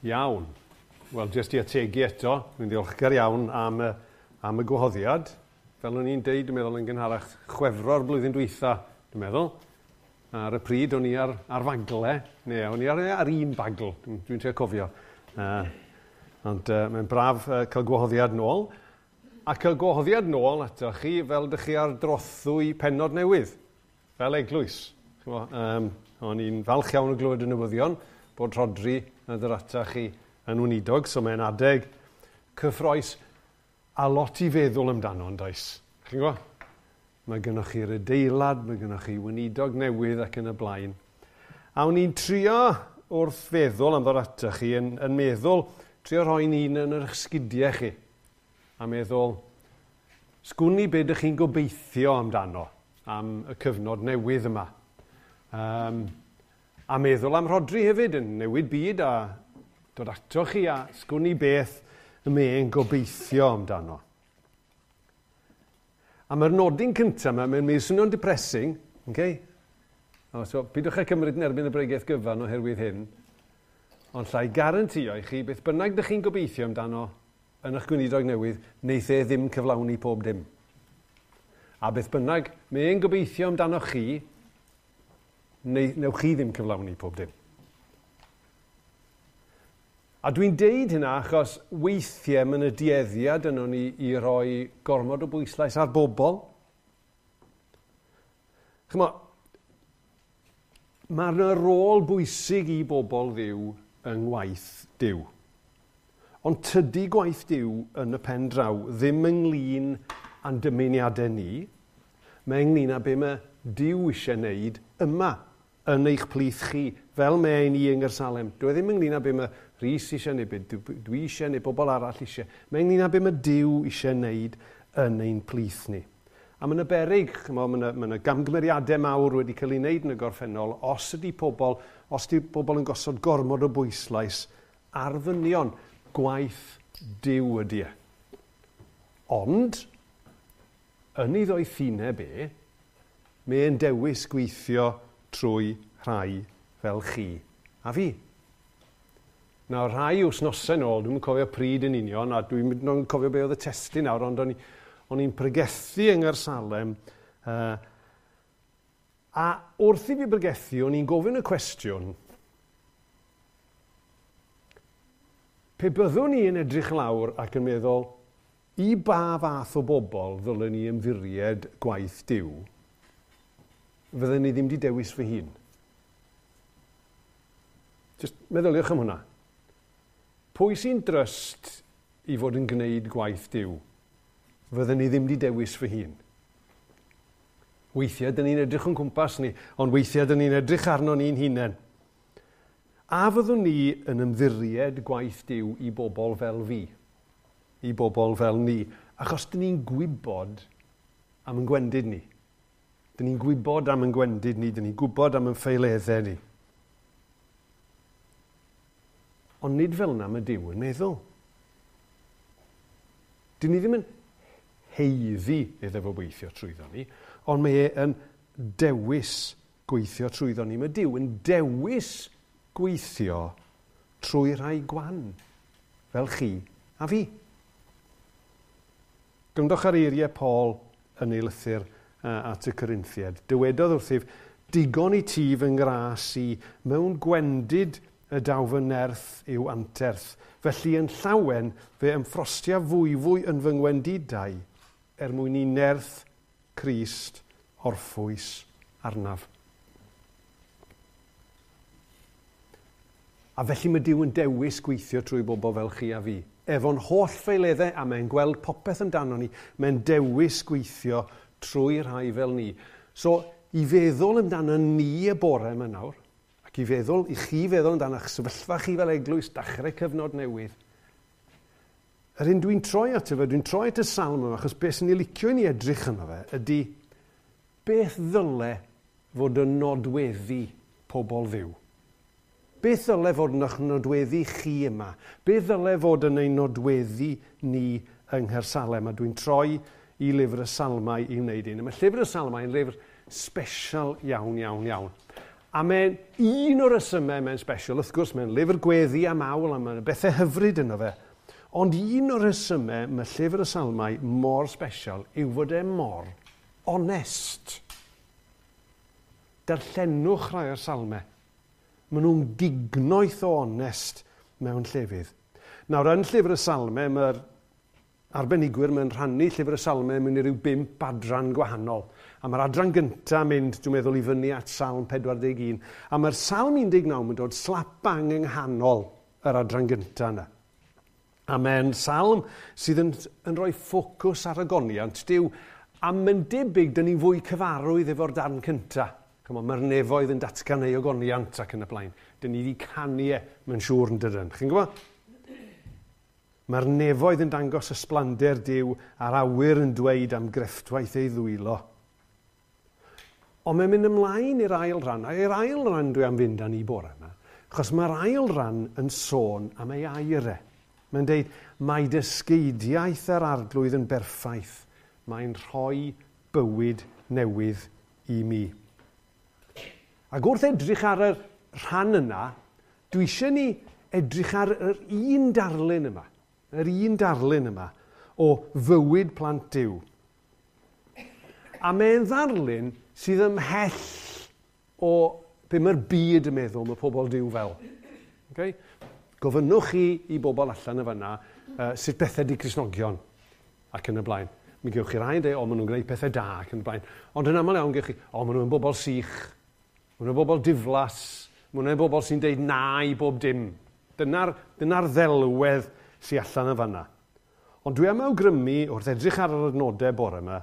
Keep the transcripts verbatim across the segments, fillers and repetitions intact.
Iawn. Wel, jyst i ategu eto, dwi'n ddiolchgar iawn am y, am y gwahoddiad. Fel o'n i'n deud, dwi'n meddwl yn gynharach, Chwefror blwyddyn dwytha, dwi'n meddwl. Ar y pryd o'n i ar, ar fagle, neu o'n i ar, ar un bagl, dwi'n dwi trio cofio. Uh, ond uh, mae'n braf uh, cael gwahoddiad nôl. A cael gwahoddiad nôl ato chi fel dych chi ar drothwy pennod newydd, fel eglwys. Um, o'n i'n falch iawn o glywed y newyddion bod Rhodri yn dod ata chi yn weinidog, so mae'n adeg cyffrous a lot i feddwl amdano, yn does? Chi'n gwybod? Mae gennych chi'r adeilad, mae gennych chi weinidog newydd ac yn y blaen. A o'n i'n trio wrth feddwl am ddod ata chi, yn, yn meddwl, trio rhoi'n un yn yr sgidiau chi. A meddwl, sgwn i be ydych chi'n gobeithio amdano am y cyfnod newydd yma. Um, a meddwl am Rhodri hefyd yn newid byd a dod ato chi a sgwn i beth y mae'n gobeithio amdano. A mae'r nodyn cyntaf yma, mae'n mynd swnio'n depressing, okay? O, so, pidwch â cymryd yn erbyn y bregaeth gyfan oherwydd hyn, ond llai garantio i chi, beth bynnag ydych chi'n gobeithio amdano yn eich gweinidog newydd, wneith e ddim cyflawni pob dim. A beth bynnag, mae'n gobeithio amdano chi, neu, newch chi ddim cyflawni pob dim. A dwi'n deud hynna achos weithiau mae yna dueddiad yno ni i roi gormod o bwyslais ar bobl. Chymod, mae yna rôl bwysig i bobl Dduw yng ngwaith Duw. Ond tydi gwaith Duw yn y pen draw ddim ynglyn â'n dymuniadau ni, mae ynglyn â be mae Duw eisiau wneud yma yn eich plith chi, fel mae ein i yng Nghaersalem. Dwi ddim ynglyn â be mae Rhys eisiau neu be dwi eisiau neu bobl arall eisiau. Mae ynglyn â be mae Duw eisiau wneud yn ein plith ni. A mae yna beryg, mae yna, mae yna gamgymeriadau mawr wedi cael ei wneud yn y gorffennol os ydy pobl, os ydy pobl yn gosod gormod o bwyslais ar ddynion, gwaith Duw ydy e. Ond, yn ei ddoethineb e, mae'n dewis gweithio trwy rhai fel chi a fi. Nawr, rhai wythnosau nôl, dwi'n cofio pryd yn union, a dwi'n cofio be oedd y testun nawr, ond o'n, o'n i'n pregethu yng Nghaersalem, uh, a wrth i fi pregethu, o'n i'n gofyn y cwestiwn, pe byddwn ni yn edrych lawr ac yn meddwl, i ba fath o bobl ddylen ni ymddiried gwaith Duw, fydden ni ddim wedi dewis fy hun. Just meddyliwch am hwnna. Pwy sy'n dryst i fod yn gwneud gwaith Duw? Fydden ni ddim wedi dewis fy hun. Weithiau, dyn ni'n edrych o'n cwmpas ni, ond weithiau, dyn ni'n edrych arno ni'n hunain. A fyddwn ni yn ymddiried gwaith Duw i bobl fel fi, i bobl fel ni, achos dyn ni'n gwybod am yn gwendid ni. Dyn ni'n gwybod am yn gwendid ni, dyn ni'n gwybod am yn ffeileddau ni. Ond nid fel yna mae Duw yn meddwl. Dyn ni ddim yn heiddi iddo fo weithio trwyddo ni, ond mae e yn dewis gweithio trwyddo ni. Mae Duw yn dewis gweithio trwy rhai gwan, fel chi a fi. Gwrandwch ar eiriau Paul yn ei lythyr at y Corinthiaid. Dywedodd wrthyf, digon i ti fy ngras i mewn gwendid y daw fy nerth yw anterth. Felly yn llawen fe ymffrostia fwyfwy yn fy ngwendidau er mwyn i nerth Crist orffwys arnaf. A felly mae Duw yn dewis gweithio trwy bobl fel chi a fi. Efo'n holl ffeileddau a mae'n gweld popeth amdano ni, mae'n dewis gweithio trwy rhai fel ni. So, i feddwl amdano ni y bore yma nawr, ac i feddwl, i chi feddwl amdano eich sefyllfa chi fel eglwys, dechrau cyfnod newydd. Yr un dwi'n troi ato fe, dwi'n troi at y salm yma, achos beth sy'n ei licio i ni edrych yno fe, ydy beth ddyle fod yn nodweddu pobl Dduw? Beth ddyle fod yn eich nodweddu chi yma? Beth ddyle fod yn ein nodweddu ni yng Nghaersalem? A dwi'n troi i lyfr y Salmau i wneud un. Mae llyfr y Salmau yn lyfr special iawn, iawn, iawn. A mae'n un o'r resymau mae'n special, wrth gwrs, mae'n lyfr gweddi a mawl, a mae'n bethau hyfryd yno fe. Ond un o'r resymau mae llyfr y Salmau mor special yw fod e mor onest. Darllenwch rhai o'r salmau. Maen nhw'n gignoeth o onest mewn llefydd. Nawr, yn llyfr y Salmau, mae'r arbenigwyr mae'n rhannu llyfr y Salmau mewn i ryw bump adran gwahanol. A mae'r adran gyntaf mynd, dwi'n meddwl, i fyny at Salm pedwar deg un. A mae'r Salm un deg naw yn dod slap bang yng nghanol yr adran gyntaf yna. A mae'n salm sydd yn, yn rhoi ffocws ar ogoniant Duw. A mae'n debyg, dyn ni'n fwy cyfarwydd efo'r darn cyntaf. Mae'r nefoedd yn datgan ei ogoniant ac yn y blaen. Dyn ni wedi canu e, mae'n siŵr yn dydyn. Chi'n gwybod? Mae'r nefoedd yn dangos ysblander Duw a'r awyr yn dweud am grefftwaith ei ddwylo. Ond mae'n mynd ymlaen i'r ail ran, a i'r ail ran dwi am fynd â ni bore yma, achos mae'r ail ran yn sôn am ei air e. Mae'n deud, mae dysgeidiaeth yr Arglwydd yn berffaith. Mae'n rhoi bywyd newydd i mi. Ac wrth edrych ar y rhan yna, dwi eisiau ni edrych ar yr un darlun yma, yr un darlun yma o fywyd plant Duw. A mae'n ddarlun sydd ymhell o be mae'r byd yn meddwl mae pobl Duw fel. Okay? Gofynnwch chi i bobl allan y fanna uh, sut bethau di Cristnogion ac yn y blaen. Mi gewch chi rai yn dweud, o, maen nhw'n gwneud pethau da ac yn y blaen. Ond yn aml iawn gewch chi, o, maen nhw'n bobl sych, maen nhw'n bobl diflas, maen nhw'n bobl sy'n deud na i bob dim. Dyna'r, dyna'r ddelwedd sy'n allan y fanna. Ond dwi am awgrymu, wrth edrych ar yr adnodau bore yma,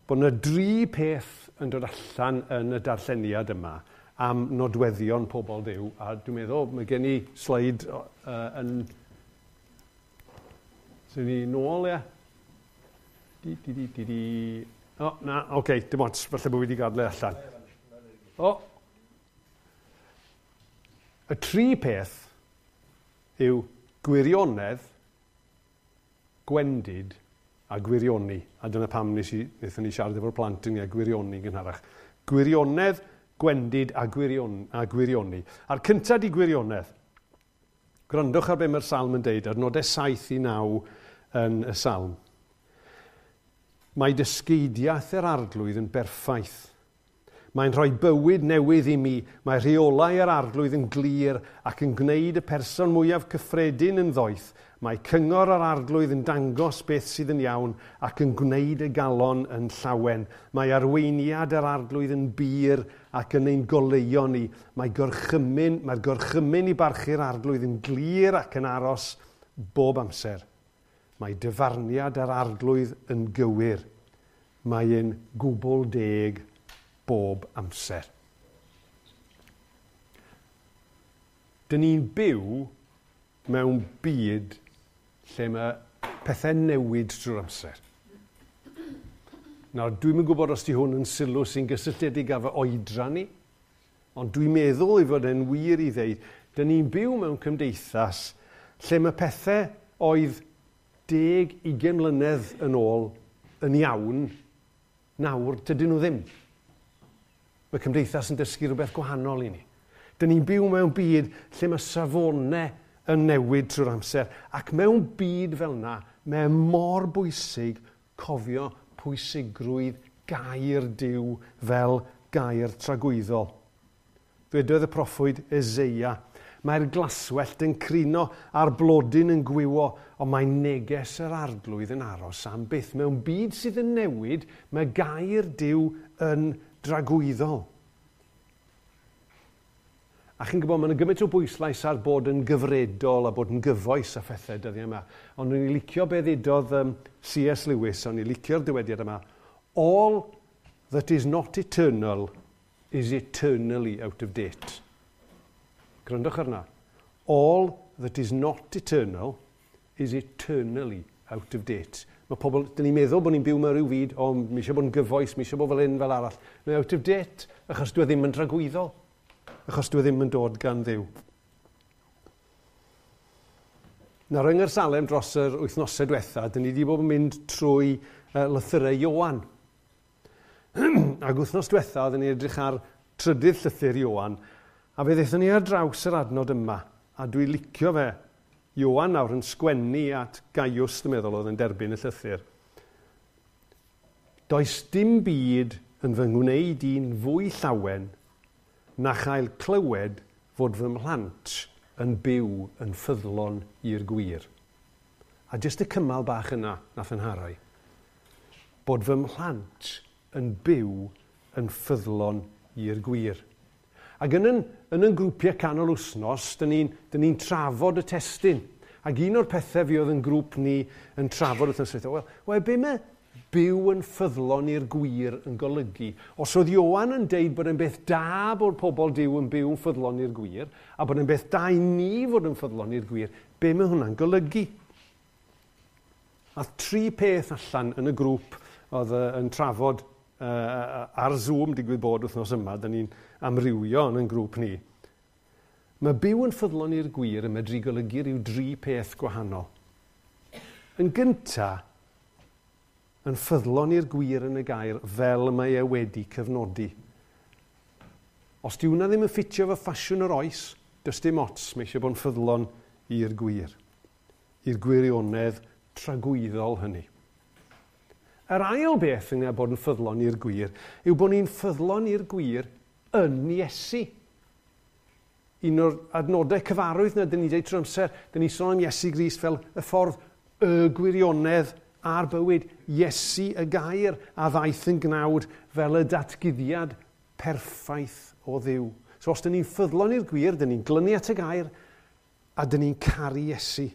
bod yna dri peth yn dod allan yn y darlleniad yma am nodweddion pobl Dduw, a dwi'n meddwl, mae gen i sleid uh, yn... Sy'n ni nôl, ie? Di, di, di, di, di. O, na, oce, okay, dim ots, falle bod fi wedi gadw allan. O! Y tri peth yw gwirionedd, gwendid a gwirioni. A dyna pam nes i, wnaethon ni siarad efo'r plant yn gwirioni gynharach. Gwirionedd, gwendid a, gwirion, a gwirioni. A'r cyntaf di gwirionedd. Gwrandwch ar be mae'r salm yn deud, ar nodau saith i naw yn y salm. Mae dysgeidiaeth yr Arglwydd yn berffaith. Mae'n rhoi bywyd newydd i mi. Mae rheolau yr Arglwydd yn glir ac yn gwneud y person mwyaf cyffredin yn ddoeth. Mae cyngor yr Arglwydd yn dangos beth sydd yn iawn ac yn gwneud y galon yn llawen. Mae arweiniad yr Arglwydd yn bur ac yn ein goleuo ni. Mae gorchymyn, mae'r gorchymyn i barchu'r Arglwydd yn glir ac yn aros bob amser. Mae dyfarniad yr Arglwydd yn gywir. Mae e'n gwbl deg bob amser. Dyn ni'n byw mewn byd lle mae pethau newid drwy'r amser. Nawr, dwi'm yn gwybod os di hwn yn sylw sy'n gysylltiedig â fy oedran ni, ond dwi'n meddwl ei fod e'n wir i ddeud, dyn ni'n byw mewn cymdeithas lle mae pethau oedd deg, ugain mlynedd yn ôl yn iawn, nawr dydyn nhw ddim. Mae cymdeithas yn dysgu rhywbeth gwahanol i ni. Dyn ni'n byw mewn byd lle mae safonau yn newid trwy'r amser. Ac mewn byd fel yna, mae mor bwysig cofio pwysigrwydd gair Duw fel gair tragwyddol. Dwedodd y proffwyd Eseia, mae'r glaswellt yn crino a'r blodyn yn gwywo, ond mae neges yr Arglwydd yn aros am byth. Mewn byd sydd yn newid, mae gair Duw yn dragwyddol. A chi'n gwybod, mae'n gymaint o bwyslais ar bod yn gyfredol a bod yn gyfoes a phethau dyddiau yma. Ond o'n i'n licio be ddudodd um, C S Lewis, o'n i'n licio'r dywediad yma. All that is not eternal is eternally out of date. Gwrandwch arna. All that is not eternal is eternally out of date. Mae pobl, dyn ni'n meddwl bod ni'n byw mewn rhyw fyd, o, mi eisiau bod yn gyfoes, mi eisiau bod fel hyn, fel arall. Mae out of date, achos dwi ddim yn dragwyddol. Achos dwi ddim yn dod gan Dduw. Nawr, yng Nghaersalem dros yr wythnosau diwetha, dyn ni wedi bod yn mynd trwy uh, lythyrau Ioan. Ac wythnos diwetha, oedden ni edrych ar trydydd llythyr Ioan, a fe ddaethon ni ar draws yr adnod yma, a dwi licio fe. Ioan nawr yn sgwennu at Gaius, dwi'n meddwl, oedd yn derbyn y llythyr. Does dim byd yn fy ngwneud i'n fwy llawen na chael clywed fod fy mhlant yn byw yn ffyddlon i'r gwir. A jyst y cymal bach yna nath yn harau. Bod fy mhlant yn byw yn ffyddlon i'r gwir. Ac yn yn, yn yn grwpiau canol wythnos, dyn ni'n ni trafod y testun. Ac un o'r pethau fi oedd yn grŵp ni yn trafod wythnos dwytha, wel, wel, be mae byw yn ffyddlon i'r gwir yn golygu? Os oedd Ioan yn deud bod e'n beth da bod pobl Duw yn byw yn ffyddlon i'r gwir, a bod e'n beth da i ni fod yn ffyddlon i'r gwir, be mae hwnna'n golygu? A tri peth allan yn y grŵp oedd yn trafod uh, ar Zoom digwydd bod wythnos yma, dyn ni'n amrywio yn ein grŵp ni. Mae byw yn ffyddlon i'r gwir yn medru golygu rhyw dri peth gwahanol. Yn gynta, yn ffyddlon i'r gwir yn y gair fel mae e wedi cyfnodi. Os di hwnna ddim yn ffitio fo ffasiwn yr oes, does dim ots, mae eisiau bod yn ffyddlon i'r gwir. I'r gwirionedd tragwyddol hynny. Yr ail beth yna bod yn ffyddlon i'r gwir yw bod ni'n ffyddlon i'r gwir yn Iesu. Un o'r adnodau cyfarwydd na dyn ni'n deud trwy amser, dyn ni'n sôn am Iesu Grist fel y ffordd y gwirionedd a'r bywyd. Iesu y gair a ddaeth yn gnawd fel y datguddiad perffaith o Dduw. So os dyn ni'n ffyddlon i'r gwir, dyn ni'n glynu at y gair a dyn ni'n caru Iesu.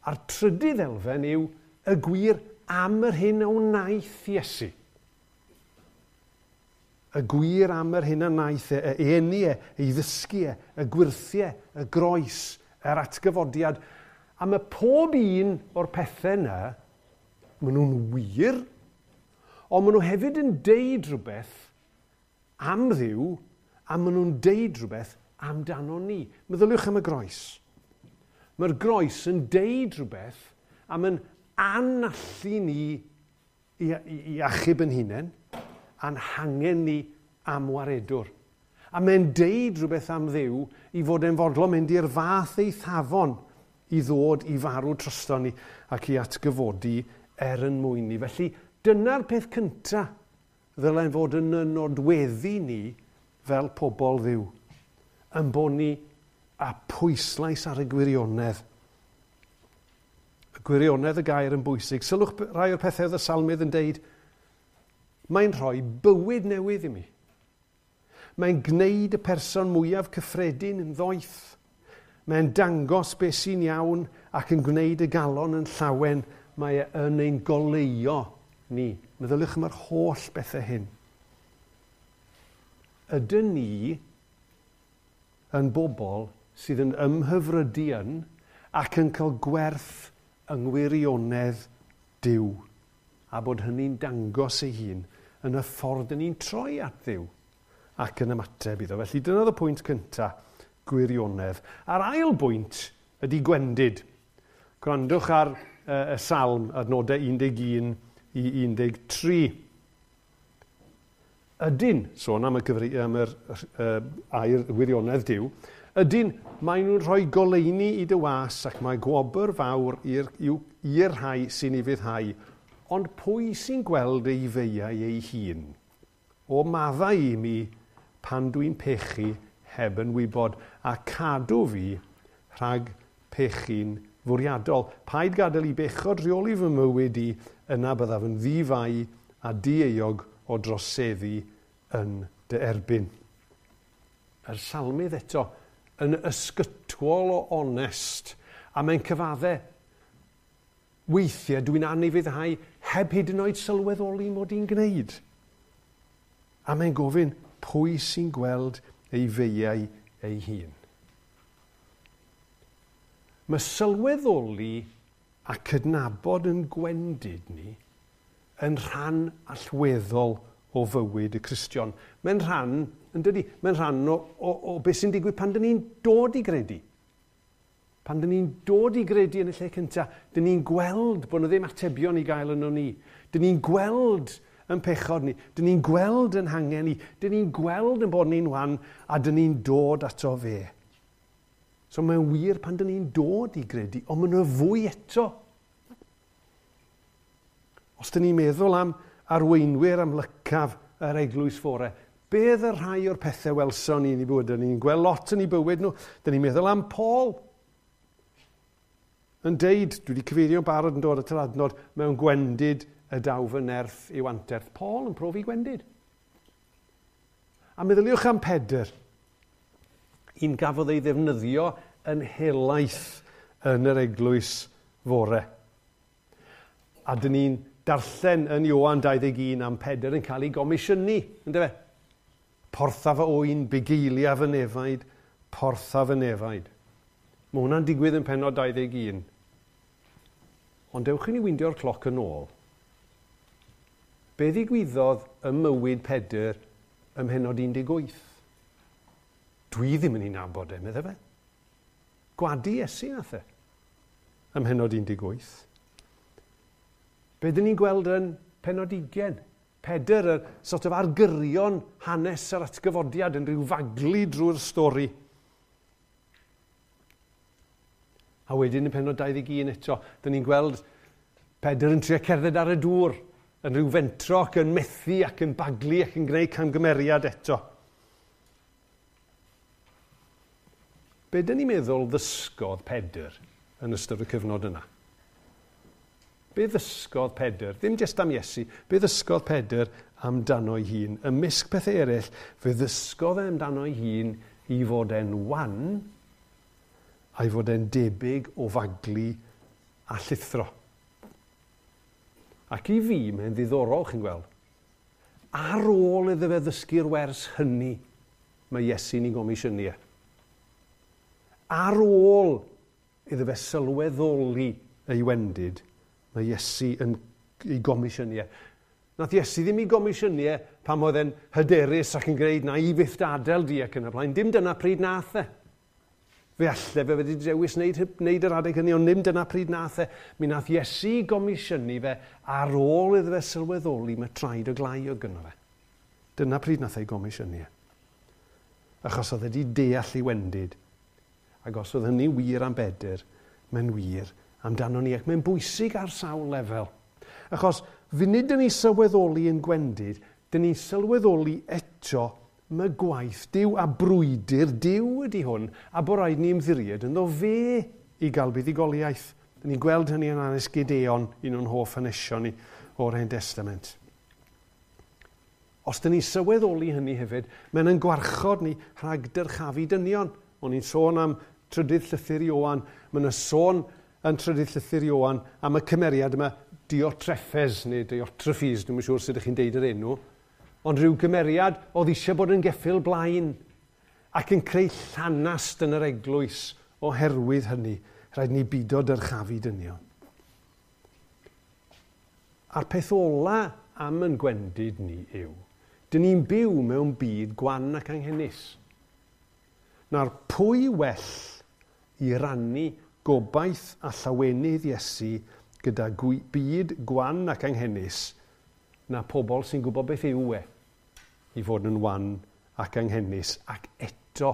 A'r trydydd elfen yw y gwir am yr hyn a wnaeth Iesu. Y gwir am yr hyn a wnaeth e, y eni e, ei ddysgu e, y gwyrthiau, y groes, yr atgyfodiad. A mae pob un o'r pethau yna, maen nhw'n wir, ond maen nhw hefyd yn deud rhywbeth am Dduw, a maen nhw'n deud rhywbeth amdano ni. Meddyliwch am y groes. Mae'r groes yn deud rhywbeth am yn anallu ni i, i, i achub yn hunain, a'n hangen ni am waredwr. A mae'n deud rhywbeth am Dduw i fod e'n fodlon mynd i'r fath eithafon i ddod i farw drosto ni ac i atgyfodi er yn mwyn ni. Felly dyna'r peth cyntaf ddylen fod yn y nodweddu ni fel pobl Dduw. Yn bod ni a pwyslais ar y gwirionedd. Y gwirionedd y gair yn bwysig. Sylwch rai o'r pethau oedd y salmydd yn deud, mae'n rhoi bywyd newydd i mi. Mae'n gwneud y person mwyaf cyffredin yn ddoeth. Mae'n dangos beth sy'n iawn ac yn gwneud y galon yn llawen. Mae e yn ein goleuo ni. Meddyliwch am yr holl bethau hyn. Ydyn ni yn bobl sydd yn ymhyfrydu yn ac yn cael gwerth yng ngwirionedd Duw, a bod hynny'n dangos ei hun yn y ffordd yn ni'n troi at Dduw ac yn ymateb iddo. Felly dyna oedd y pwynt cyntaf, gwirionedd. A'r ail bwynt ydy gwendid. Gwrandwch ar uh, y salm adnodau un deg un i un deg tri. Ydyn, sôn am y, cyfri, am yr uh, air wirionedd Duw, ydyn, maen nhw'n rhoi goleuni i dy was ac mae gwobr fawr i'r, i'r rhai sy'n ufuddhau, ond pwy sy'n gweld ei feiau ei hun? O maddau i mi pan dwi'n pechu heb yn wybod, a cadw fi rhag pechu'n fwriadol. Paid gadael i bechod rheoli fy mywyd i, yna byddaf yn ddifai a dieuog o droseddu yn dy erbyn. Yr salmydd eto yn ysgytwol o onest, a mae'n cyfadde, weithiau dwi'n anufuddhau heb hyd yn oed sylweddoli mod i'n gwneud. A mae'n gofyn pwy sy'n gweld ei feiau ei hun. Mae sylweddoli a cydnabod yn gwendid ni yn rhan allweddol o fywyd y Cristion. Mae'n rhan, yn dydi, mae'n rhan o, o, o beth sy'n digwydd pan dyn ni'n dod i gredu. Pan dyn ni'n dod i gredu yn y lle cyntaf, dyn ni'n gweld bod yna ddim atebion i gael yno ni. Dyn ni'n gweld yn pechod ni, dyn ni'n gweld yn hangen ni, dyn ni'n gweld yn bod ni'n wan, a dyn ni'n dod ato fe. So mae'n wir pan dyn ni'n dod i gredu, ond mae'n fwy eto. Os dyn ni'n meddwl am arweinwyr amlycaf yr eglwys fore, beth y rhai o'r pethau welson ni yn ei bywyd? Dyn ni'n gweld lot yn ei bywyd nhw. Dyn ni'n meddwl am Paul. Yn deud, dwi wedi cyfeirio barod yn dod at yr adnod, mewn gwendid y daw fy nerth i'w anterth. Paul yn profi gwendid. A meddyliwch am Pedr, un gafodd ei ddefnyddio yn helaeth yn yr eglwys fore. A dyn ni'n darllen yn Ioan dau ddeg un am Pedr yn cael ei gomisiynu, yndyfe? Portha fy oen, bugeilia fy nefaid, portha fy nefaid. Mae hwnna'n digwydd yn pennod dau ddeg un. Ond dewch i ni windio'r cloc yn ôl. Be ddigwyddodd ym mywyd Pedr ym mhennod un deg wyth? Dwi ddim yn ei nabod e, medde fe. Gwadu Iesu nath e ym mhennod un deg wyth. Be dyn ni'n gweld yn pennod ugain? Pedr, y sort of argyrion hanes yr atgyfodiad yn rhyw faglu drwy'r stori. A wedyn yn pennod dau ddeg un eto, dyn ni'n gweld Pedr yn trio cerdded ar y dŵr, yn rhyw fentro ac yn methu ac yn baglu ac yn gwneud camgymeriad eto. Be dyn ni'n meddwl ddysgodd Pedr yn ystod y cyfnod yna? Be ddysgodd Pedr? Ddim jyst am Iesu, be ddysgodd Pedr amdano'i hun? Ymysg pethau eraill, fe ddysgodd e amdano'i hun i fod e'n wan a'i fod e'n debyg o faglu a llithro. Ac i fi, mae'n ddiddorol, chi'n gweld, ar ôl iddo fe ddysgu'r wers hynny, mae Iesu'n ei gomisiynu e. Ar ôl iddo fe sylweddoli ei wendid, mae Iesu yn ei gomisiynu e. Nath Iesu ddim ei gomisiynu e pan oedd e'n hyderus ac yn gwneud na i fyth adael di ac yn y blaen. Dim dyna pryd nath e. Fe alle fe wedi dewis wneud, wneud yr adeg hynny, ond ddim dyna pryd nath e. Mi nath Iesu gomisiynu fe ar ôl iddo fe sylweddoli mae traed o glai oedd gynno fe. Dyna pryd nath ei gomisiynu e. Achos oedd wedi deall ei wendid. Ac os oedd hynny wir am Bedr, mae'n wir amdano ni, ac mae'n bwysig ar sawl lefel. Achos funud dyn ni sylweddoli yn gwendid, dyn ni sylweddoli eto mae gwaith Duw a brwydr Duw ydy hwn, a bod rhaid ni ymddiried ynddo fe i gael buddugoliaeth. Dyn ni'n gweld hynny yn hanes Gideon, un o'n hoff hanesion ni o'r Hen Testament. Os dyn ni sylweddoli hynny hefyd, mae'n yn gwarchod ni rhag dyrchafu dynion. O'n i'n sôn am trydydd llythyr Ioan, mae'n sôn yn trydydd llythyr Ioan am y cymeriad yma Diotrephes neu Diotrephes, dwi'm yn siŵr sut ydych chi'n deud yr enw, ond rhyw gymeriad oedd eisiau bod yn geffyl blaen ac yn creu llanast yn yr eglwys oherwydd hynny. Rhaid ni bido dyrchafu dynion. A'r peth ola am yn gwendid ni yw, dyn ni'n byw mewn byd gwan ac anghenus. Nawr, pwy well i rannu gobaith a llawenydd Iesu gyda byd gwan ac anghenus na pobl sy'n gwybod beth yw e i fod yn wan ac anghenus ac eto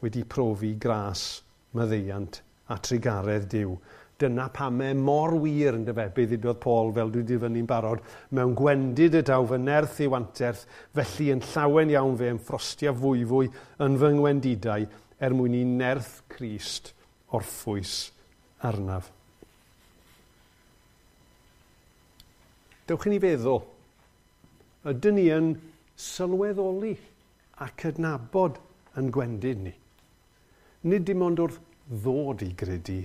wedi profi gras, maddeuant a trugaredd Duw. Dyna pam e mor wir yn dyfe, be ddudodd Paul fel dwi wedi fyny'n barod, mewn gwendid y daw fy nerth i'w anterth, felly yn llawen iawn fe ymffrostia fwyfwy yn fy ngwendidau er mwyn i nerth Crist orffwys arnaf. Dewch i ni feddwl, ydyn ni yn sylweddoli a cydnabod yn gwendid ni? Nid dim ond wrth ddod i gredu,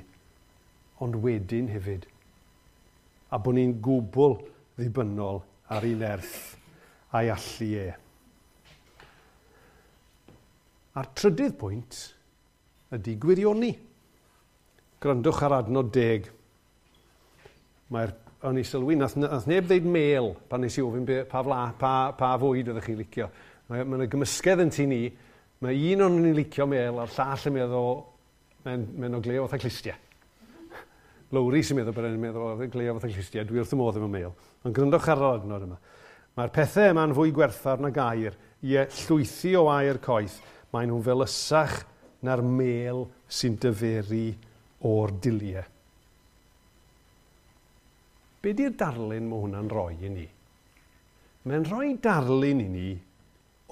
ond wedyn hefyd. A bod ni'n gwbl ddibynnol ar ei nerth a'i allu e. A'r trydydd pwynt ydy gwirioni. Gwrandwch ar adnod deg. Mae'r, o'n i sylwi, nath, nath neb ddeud mel pan nes i ofyn be, pa, fla, pa, pa fwyd oeddech chi'n licio. Mae, mae yna gymysgedd yn tŷ ni. Mae un o'n ni'n licio mel a'r llall yn meddwl, mae'n mae o gleo fatha clustiau. Lowri sy'n meddwl bod e'n meddwl oedd yn gleo fatha clustiau. Dwi wrth y modd efo mel. Ond gwrandwch ar yr adnod yma. Mae'r pethau yma'n fwy gwerthfawr nag aur, ie, llwythi o aur coeth. Maen nhw'n felysach na'r mêl sy'n dyferu o'r diliau. Be di'r darlun mae hwnna'n rhoi i ni? Mae'n rhoi darlun i ni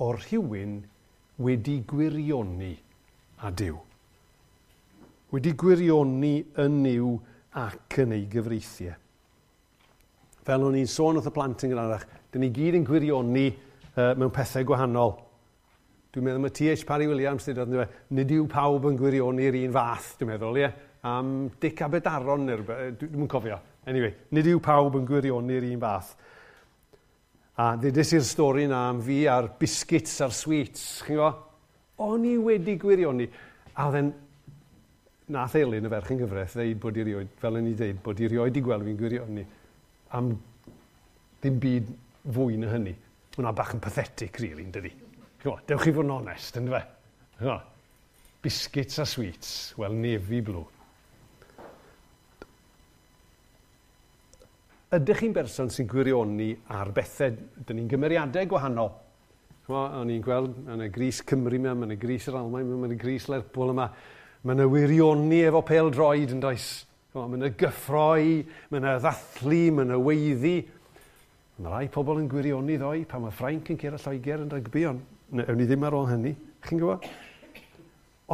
o rhywun wedi gwirioni â Duw. Wedi gwirioni yn Nuw ac yn ei gyfreithiau. Fel o'n i'n sôn wrth y plant yn gynharach, dyn ni gyd yn gwirioni uh, mewn pethau gwahanol. Dwi'n meddwl mae T H Parry Williams dweud, yndyfe, nid yw pawb yn gwirioni'r un fath, dwi'n meddwl, ie? Am Dic Aberdaron neu rhywbeth, dwi'm yn cofio. Anyway, nid yw pawb yn gwirioni'r un fath. A ddedes i'r stori na am fi a'r biscuits a'r sweets, chi'n gwybod? O'n i wedi gwirioni. A oedd e'n, nath Elin, y ferch yn gyfraith, ddeud bod i rioed, fel o'n i ddeud, bod i rioed i gweld fi'n gwirioni am ddim byd fwy na hynny. Hwnna bach yn pathetic, really, yn dydi? Ch'mo', dewch chi fod yn onest, yndyfe? Ch'mo', biscuits a sweets, wel, navy blue. Ydych chi'n berson sy'n gwirioni ar bethau? Dyn ni'n gymeriadau gwahanol. Ch'mo', o'n i'n gweld, mae yna grys Cymru yma, mae yna grys yr Almaen yma, mae yna grys Lerpwl yma. Mae yna wirioni efo pêl-droed yn does? Ch'mo', mae yna gyffroi, mae yna ddathlu, mae yna weiddi. Mae rai pobl yn gwirioni ddoe pan mae Ffrainc yn curo Lloegr yn rygbi, ond ewn ni ddim ar ôl hynny, chi'n gwybod?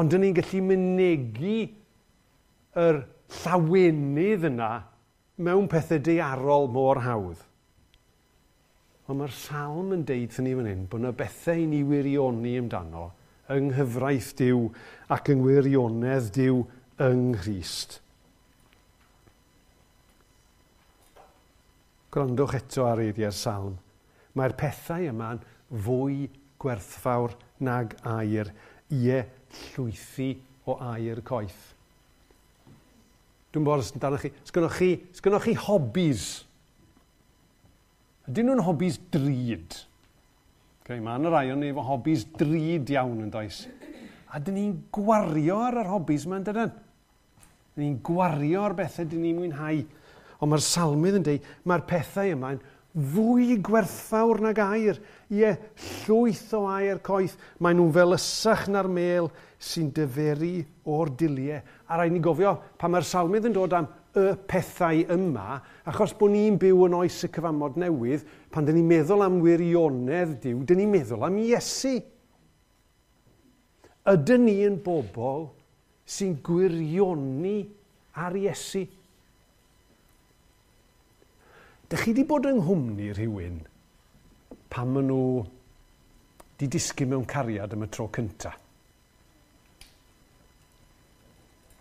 Ond dyn ni'n gallu mynegi yr llawenydd yna mewn pethau daearol mor hawdd. Ond mae'r salm yn deud wrthyn ni fan hyn bod yna bethau i ni wirioni amdano yng nghyfraith Duw ac yng ngwirionedd Duw yng Nghrist. Gwrandwch eto ar eiriau'r salm. Mae'r pethau yma'n fwy gwerthfawr nag aur, ie, llwythi o aur coeth. Dwi'n bod os amdanoch chi, sgynnoch chi, sgynnoch chi hobbies? Ydyn nhw'n hobbies drud? Okay, mae yna rai o'n ni efo hobbies drud iawn yn does. A dyn ni'n gwario ar yr hobbies yma, yn dydyn? Dyn ni'n gwario ar bethau dyn ni'n mwynhau. Ond mae'r salmydd yn dweud, mae'r pethau yma'n fwy gwerthfawr nag aur. Ie, llwyth o aur coeth. Maen nhw'n felysach na'r mêl sy'n dyferu o'r diliau. A rhaid ni gofio, pan mae'r salmydd yn dod am y pethau yma, achos bod ni'n byw yn oes y cyfamod newydd, pan dyn ni'n meddwl am wirionedd Duw, dyn ni'n meddwl am Iesu. Ydyn ni yn bobl sy'n gwirioni ar Iesu? Dych chi wedi bod yng nghwmni rhywun pan maen nhw wedi disgyn mewn cariad am y tro cynta?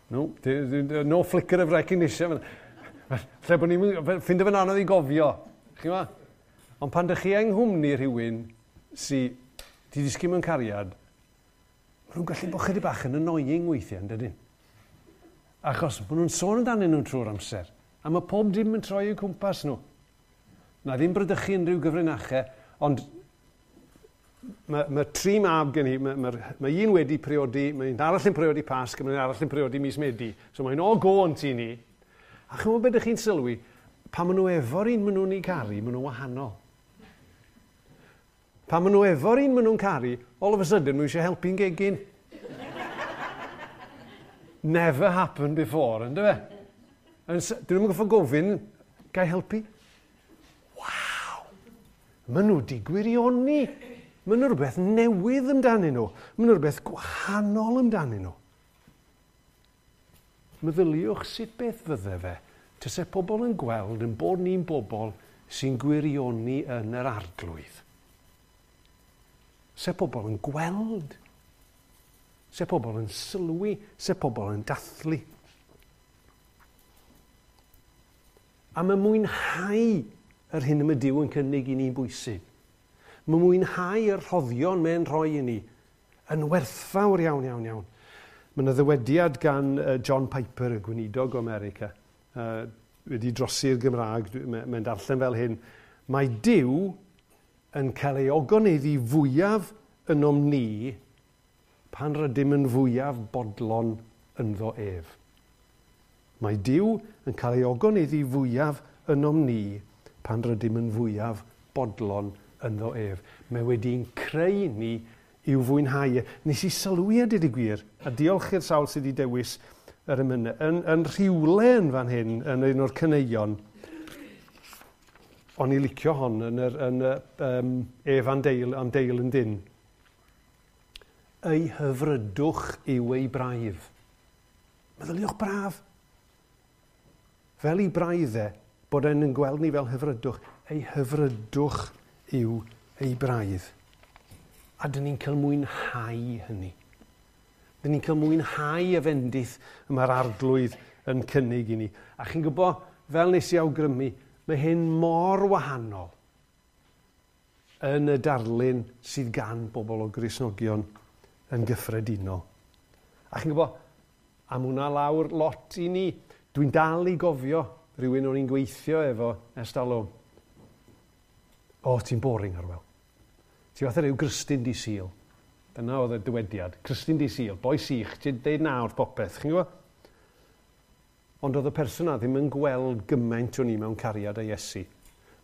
No, no flicker of recognition. Lle bod ni'n ffindo fe'n anodd i gofio. Chi'n gwybod? Ond pan dych chi yng nghwmni rhywun sydd wedi disgyn mewn cariad, maen nhw'n gallu bod chydig bach yn annoying weithiau, yn dydyn? Achos maen nhw'n sôn amdanyn nhw trwy'r amser. A mae pob dim yn troi i'w cwmpas nhw. Na ddim brydychu unrhyw gyfrinachau, ond mae, mae tri mab gen i, mae, mae, mae un wedi priodi, mae un arall yn priodi Pasg, mae un arall yn priodi mis Medi. So mae'n all go yn tŷ ni. A chymod beth ydych chi'n sylwi, pan maen nhw efo'r un maen nhw'n ei caru, maen nhw'n wahanol. Pan maen nhw efo'r un maen nhw'n caru, all of a sudden maen nhw eisiau helpu'n gegin. Never happened before, ynddo fe? Dyn nhw'n gorfod gofyn, gai helpu? Waw! Maen nhw wedi gwirioni. Maen nhw rhywbeth newydd amdanyn nhw. Maen nhw rhywbeth gwahanol amdanyn nhw. Meddyliwch sut beth fydde fe, tase pobl yn gweld yn bod ni'n bobl sy'n gwirioni yn yr arglwydd. Se pobl yn gweld, se pobl yn sylwi, se pobl yn dathlu. A mae mwynhau yr hyn y mae Duw yn cynnig i ni'n bwysig. Mae mwynhau yr rhoddion mae'n rhoi i ni yn werthfawr iawn, iawn, iawn. Mae yna ddywediad gan John Piper, y gweinidog o America, uh, wedi drosi'r Gymraeg, mae'n darllen fel hyn. Mae Duw yn cael ei ogoneddu fwyaf ynom ni pan rydym yn fwyaf bodlon ynddo ef. Mae Duw yn cael ei ogoneddu fwyaf ynom ni pan rydym yn fwyaf bodlon ynddo ef. Mae wedi'n creu ni i'w fwynhau. Nes i sylwi a dweud y gwir, a diolch i'r sawl sydd wedi dewis yr emynau, yn, yn rhywle yn fan hyn, yn un o'r caneuon, o'n i licio hon yn yr, yn y, um, ef am deil, am deil yn dyn. Ei hyfrydwch yw ei braidd. Meddyliwch braf. Fel ei braidd e, bod e'n yn gweld ni fel hyfrydwch. Ei hyfrydwch yw ei braidd. A dyn ni'n cael mwynhau hynny. Dyn ni'n cael mwynhau y fendith y mae'r Arglwydd yn cynnig i ni. A chi'n gwybod, fel nes i awgrymu, mae hyn mor wahanol yn y darlun sydd gan bobl o Gristnogion yn gyffredinol. A chi'n gwybod, am hwnna lawr lot i ni. Dwi'n dal i gofio rhywun o'n i'n gweithio efo ers talwm. O, ti'n boring, Arwel. Ti fatha rhyw Gristyn di Sul. Dyna oedd y dywediad. Crystyn di Sul, boi sych, ti'n deud na wrth popeth. Chi'n gwybod? Ond oedd y person 'na ddim yn gweld gymaint o'n i mewn cariad â Iesu.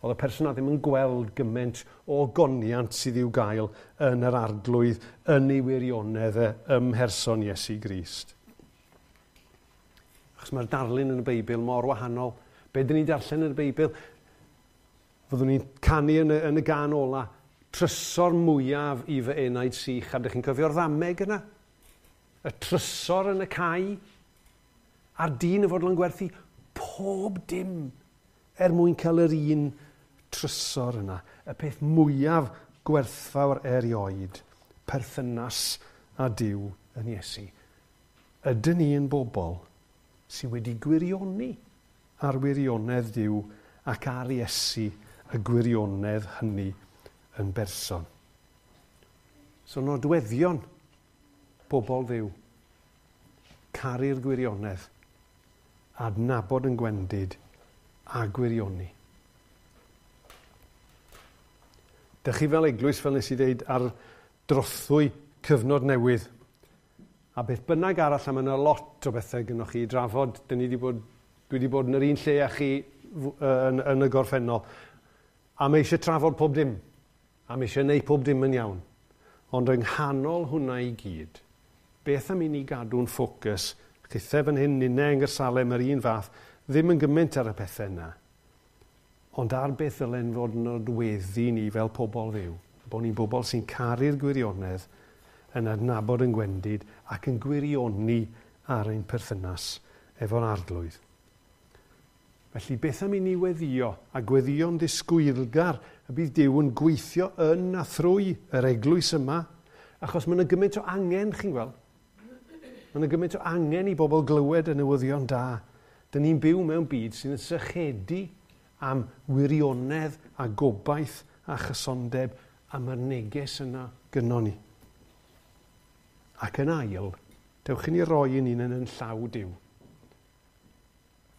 Oedd y person 'na ddim yn gweld gymaint o goniant sydd i'w gael yn yr Arglwydd, yn ei wirionedd e, ym mherson Iesu Grist. Achos mae'r darlun yn y Beibl mor wahanol. Be dyn ni'n darllen yn y Beibl? Fyddwn ni'n canu yn y, yn y gan ola, trysor mwyaf i fy enaid sych. A ydych chi'n cofio'r ddameg yna? Y trysor yn y cae. A'r dyn y fodlon gwerthu pob dim er mwyn cael yr un trysor yna. Y peth mwyaf gwerthfawr erioed, perthynas â Duw yn Iesu. Ydyn ni yn bobl sydd wedi gwirioni ar wirionedd Duw ac ar Iesu y gwirionedd hynny yn berson. So nodweddion bobl Dduw, caru'r gwirionedd, adnabod yn gwendid a gwirioni. Dych chi fel eglwys, fel nes i ddeud, ar drothwy cyfnod newydd. A beth bynnag arall, a mae yna lot o bethau gynnwch chi i drafod. Dyn ni wedi bod, dwi wedi bod yn yr un lle â chi yn, yn y gorffennol. A mae eisiau trafod pob dim. A mae eisiau gwneud pob dim yn iawn. Ond yng nghanol hwnna i gyd, beth am i ni gadw'n ffocws, chithe fan hyn, ninne yng Nghaersalem yr un fath, ddim yn gymaint ar y pethau yna, ond ar beth ddylen fod yn nodweddu ni fel pobl Dduw, bod ni'n bobl sy'n caru'r gwirionedd, yn adnabod yn gwendid ac yn gwirioni ar ein perthynas efo'r Arglwydd. Felly beth am i ni weddio, a gweddio'n ddisgwylgar y bydd Duw yn gweithio yn a thrwy yr eglwys yma, achos mae yna gymaint o angen, chi'n gweld? Mae yna gymaint o angen i bobl glywed y newyddion da. Dyn ni'n byw mewn byd sydd yn sychedu am wirionedd a gobaith a chysondeb, a mae'r neges yna gynnon ni. Ac yn ail, dewch i ni roi yn un yn yn llaw Duw.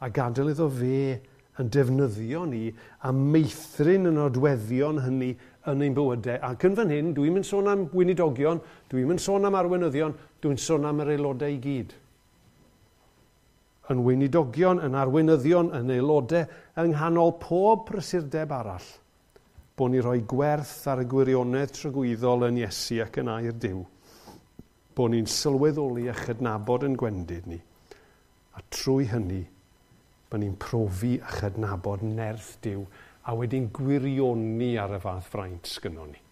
A gadael iddo fe yn defnyddio ni a meithrin y nodweddion hynny yn ein bywydau. Ac yn fan hyn, dwi'n mynd sôn am weinidogion, dwi'n mynd sôn am arweinyddion, dwi'n sôn am yr aelodau i gyd. Yn weinidogion, yn arweinyddion, yn aelodau, yng nghanol pob prysurdeb arall, bod ni rhoi gwerth ar y gwirionedd tragwyddol yn Iesu ac yn air Duw. Bod ni'n sylweddoli a chydnabod yn gwendid ni. A trwy hynny, bod ni'n profi a chydnabod nerth Duw a wedyn gwirioni ar y fath fraint sgynnon ni.